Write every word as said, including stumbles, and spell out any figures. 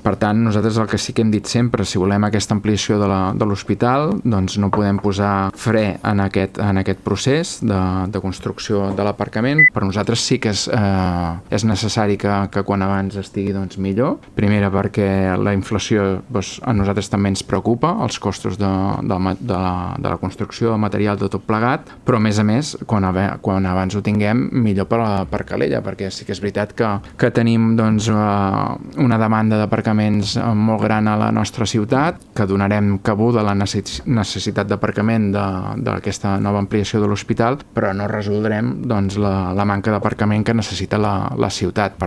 Per tant, nosaltres el que sí que hem dit sempre, si volem aquesta ampliació de la- de l'hospital, doncs no podem posar fre en aquest, en aquest procés de, de construcció de l'aparcament. Per nosaltres sí que és, eh, és necessari que, que quan abans estigui doncs, millor. Primera perquè la inflació doncs, a nosaltres també ens preocupa, els costos de, de, la, de, la, de la construcció, de material, de tot plegat, però a més a més, quan, quan abans ho tinguem, millor per, per Calella, perquè sí que és veritat que, que tenim doncs, una demanda d'aparcaments molt gran a la nostra ciutat, que donarem cabuda a la necessitat d'aparcament d'aquesta nova ampliació de l'hospital, però no resoldrem doncs, la, la manca d'aparcament que necessita la, la ciutat. Per